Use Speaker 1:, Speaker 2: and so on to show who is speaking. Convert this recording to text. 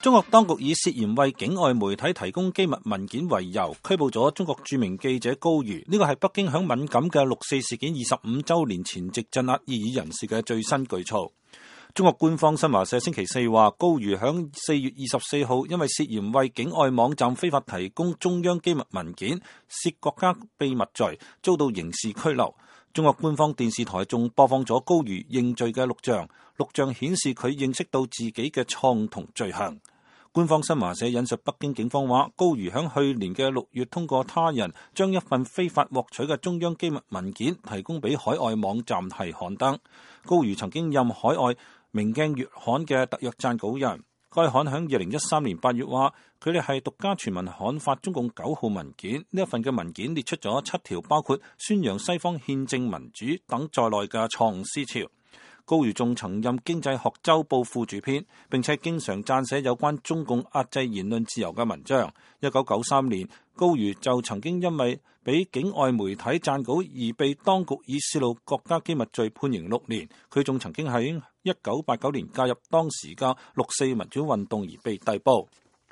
Speaker 1: 中國當局以涉嫌為境外媒體提供機密文件為由，拘捕咗中國著名記者高瑜。呢個係北京響敏感嘅六四事件25週年前夕鎮壓異議人士嘅最新舉措。中國官方新華社星期四話，高瑜響4月24號因為涉嫌為境外網站非法提供中央機密文件，涉國家秘密罪，遭到刑事拘留。中國官方電視台仲播放咗高瑜認罪嘅錄像，錄像顯示佢認識到自己嘅錯誤同罪行。官方新華社引述北京警方話，高瑜響去年嘅6月通過他人將一份非法獲取嘅中央機密文件提供俾海外網站係刊登。高瑜曾經任海外明鏡月刊嘅特約撰稿人，該刊響2013年8月話，佢哋係獨家全文刊發中共9號文件。呢一份嘅文件列出咗7條包括宣揚西方憲政民主等在內嘅錯誤思潮。高瑜仲曾任經濟學週報副主編，並且經常撰寫有關中共壓制言論自由嘅文章。1993年，高瑜就曾經因為俾境外媒體撰稿而被當局以泄露國家機密罪判刑6年。佢仲曾經喺1989年介入當時嘅6四民主運動而被逮捕。